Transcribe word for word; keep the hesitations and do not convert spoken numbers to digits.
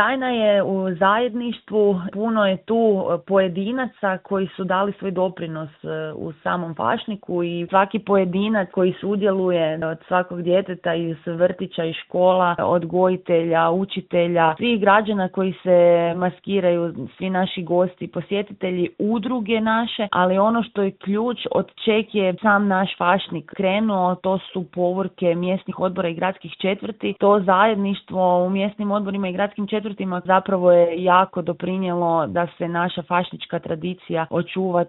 tajna je u zajedništvu, puno je tu pojedinaca koji su dali svoj doprinos u samom Fašniku i svaki pojedinac koji sudjeluje od svakog djeteta iz vrtića i škola, odgojitelja, učitelja, svih građana koji se maskiraju, svi naši gosti, posjetitelji, udruge naše, ali ono što je ključ od čeg je sam naš Fašnik krenuo, to su povorke mjesnih odbora i gradskih četvrti. To zajedništvo u mjesnim odborima i gradskim četvrtima zapravo je jako doprinijelo da se naša fašnička tradicija očuva